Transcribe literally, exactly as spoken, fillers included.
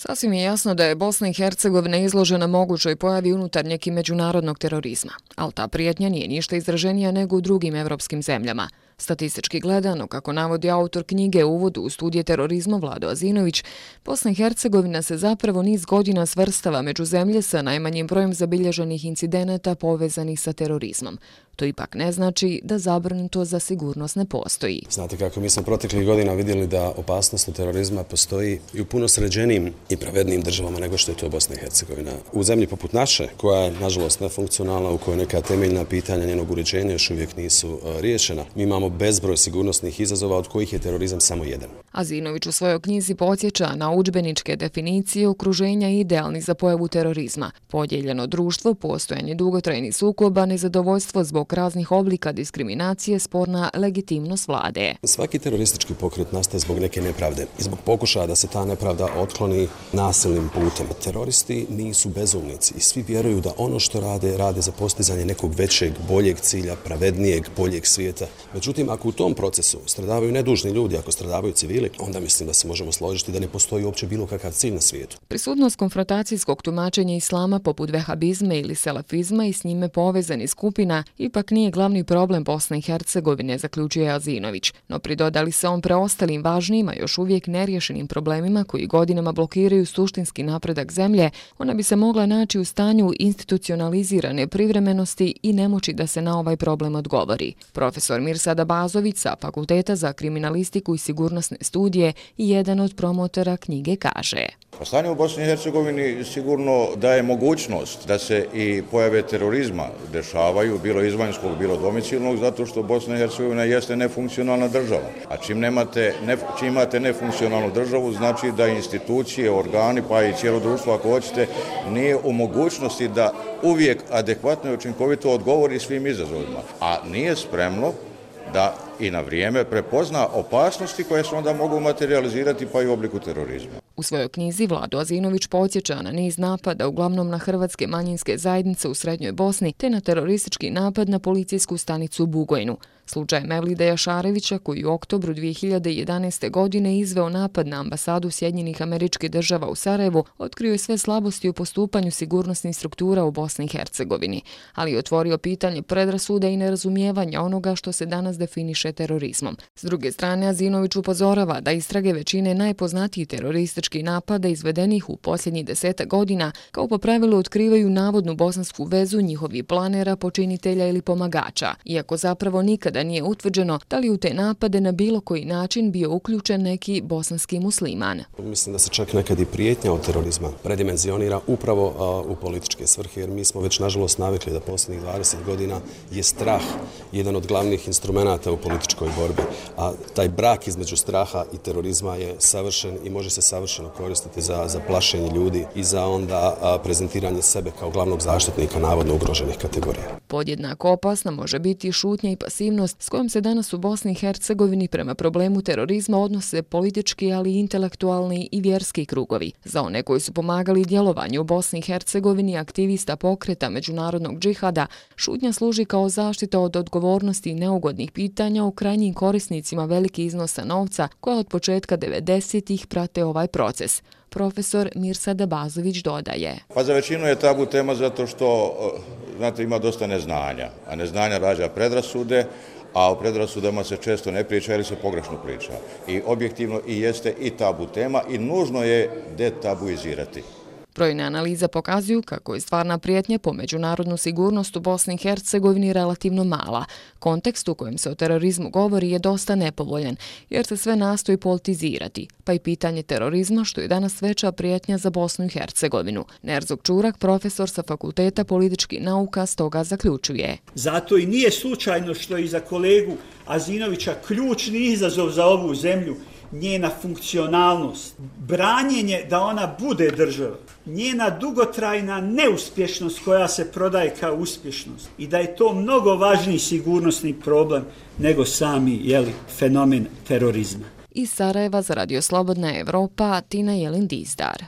Sasvim je jasno da je Bosna i Hercegovina izložena mogućoj pojavi unutarnjeg i međunarodnog terorizma, ali ta prijetnja nije ništa izraženija nego u drugim evropskim zemljama. Statistički gledano, kako navodi autor knjige Uvodu u studije terorizma Vlado Azinović, Bosna i Hercegovina se zapravo niz godina svrstava među zemlje sa najmanjim brojem zabilježenih incidenata povezanih sa terorizmom. To ipak ne znači da zabrinutost za sigurnost ne postoji. Znate kako, mi smo proteklih godina vidjeli da opasnost od terorizma postoji i u puno sređenijim i pravednijim državama nego što je to Bosna i Hercegovina. U zemlji poput naše, koja je nažalost nefunkcionalna, u kojoj neka temeljna pitanja njenog uređenja još uvijek nisu riješena, mi imamo bezbroj sigurnosnih izazova od kojih je terorizam samo jedan. Azinović u svojoj knjizi podsjeća na udžbeničke definicije okruženja idealni za pojavu terorizma: podijeljeno društvo, postojanje dugotrajnih sukoba, nezadovoljstvo zbog raznih oblika diskriminacije, sporna legitimnost vlade. Svaki teroristički pokret nastaje zbog neke nepravde i zbog pokušaja da se ta nepravda otkloni nasilnim putem. Teroristi nisu bezumnici i svi vjeruju da ono što rade, rade za postizanje nekog većeg, boljeg cilja, pravednijeg, boljeg svijeta. Međutim, ako u tom procesu stradavaju nedužni ljudi, ako stradavaju civili, onda mislim da se možemo složiti da ne postoji uopće bilo kakav cilj na svijetu. Prisutnost konfrontacijskog tumačenja islama poput vehabizma ili selafizma i s njime povezanih skupina ipak nije glavni problem Bosne i Hercegovine, zaključuje Azinović, no pridodali se on preostalim važnijima, još uvijek neriješenim problemima koji godinama blokiraju suštinski napredak zemlje, ona bi se mogla naći u stanju institucionalizirane privremenosti i nemoći da se na ovaj problem odgovori. Profesor Mirsad Abazović sa Fakulteta za kriminalistiku i sigurnosne studije i jedan od promotora knjige kaže: Stanje u Bosni i Hercegovini sigurno daje mogućnost da se i pojave terorizma dešavaju, bilo izvanjskog, bilo domicilnog, zato što Bosna i Hercegovina jeste nefunkcionalna država. A čim, nemate, ne, čim imate nefunkcionalnu državu, znači da institucije, organi, pa i cijelo društvo, ako hoćete, nije u mogućnosti da uvijek adekvatno i učinkovito odgovori svim izazovima, a nije spremno da i na vrijeme prepozna opasnosti koje se onda mogu materializirati pa i u obliku terorizma. U svojoj knjizi Vlado Azinović podsjeća na niz napada, uglavnom na hrvatske manjinske zajednice u Srednjoj Bosni, te na teroristički napad na policijsku stanicu u Bugojnu. Slučaj Mevlida Jašarevića, koji u oktobru dvije hiljade jedanaeste. godine izveo napad na ambasadu Sjedinjenih Američkih Država u Sarajevu, otkrio je sve slabosti u postupanju sigurnosnih struktura u Bosni i Hercegovini, ali je otvorio pitanje predrasuda i nerazumijevanja onoga što se danas definiše terorizmom. S druge strane, Azinović upozorava da istrage većine najpoznatijih terorističkih napada izvedenih u posljednjih desetak godina kao po pravilu otkrivaju navodnu bosansku vezu njihovih planera, počinitelja ili pomagača, iako zapravo nikada nije utvrđeno da li u te napade na bilo koji način bio uključen neki bosanski musliman. Mislim da se čak nekad i prijetnja od terorizma predimenzionira upravo a, u političke svrhe, jer mi smo već nažalost navikli da posljednjih dvadeset godina je strah jedan od glavnih instrumenata u političkoj borbi, a taj brak između straha i terorizma je savršen i može se savršeno koristiti za, za plašenje ljudi i za onda a, prezentiranje sebe kao glavnog zaštitnika navodno ugroženih kategorija. Podjednako opasna može biti šutnja i pasivnost s kojom se danas u Bosni i Hercegovini prema problemu terorizma odnose politički, ali i intelektualni i vjerski krugovi. Za one koji su pomagali djelovanju u Bosni i Hercegovini aktivista pokreta međunarodnog džihada, šutnja služi kao zaštita od odgovornosti i neugodnih pitanja u krajnjim korisnicima veliki iznosa novca koja od početka devedesetih prate ovaj proces. Profesor Mirsad Abazović dodaje: Pa za većinu je tabu tema zato što, znate, ima dosta neznanja, a neznanja rađa predrasude, a o predrasudama se često ne priča ili se pogrešno priča. I objektivno i jeste i tabu tema i nužno je detabuizirati. Brojne analize pokazuju kako je stvarna prijetnja po međunarodnu sigurnost u Bosni i Hercegovini relativno mala. Kontekst u kojem se o terorizmu govori je dosta nepovoljan, jer se sve nastoji politizirati, pa i pitanje terorizma, što je danas veća prijetnja za Bosnu i Hercegovinu. Nerzog Čurak, profesor sa Fakulteta političkih nauka, stoga zaključuje: Zato i nije slučajno što je i za kolegu Azinovića ključni izazov za ovu zemlju njena funkcionalnost, branjenje da ona bude država, njena dugotrajna neuspješnost koja se prodaje kao uspješnost i da je to mnogo važniji sigurnosni problem nego sami jeli, fenomen terorizma. Iz Sarajeva za Radio Slobodna Evropa, Tina Jelin Dizdar.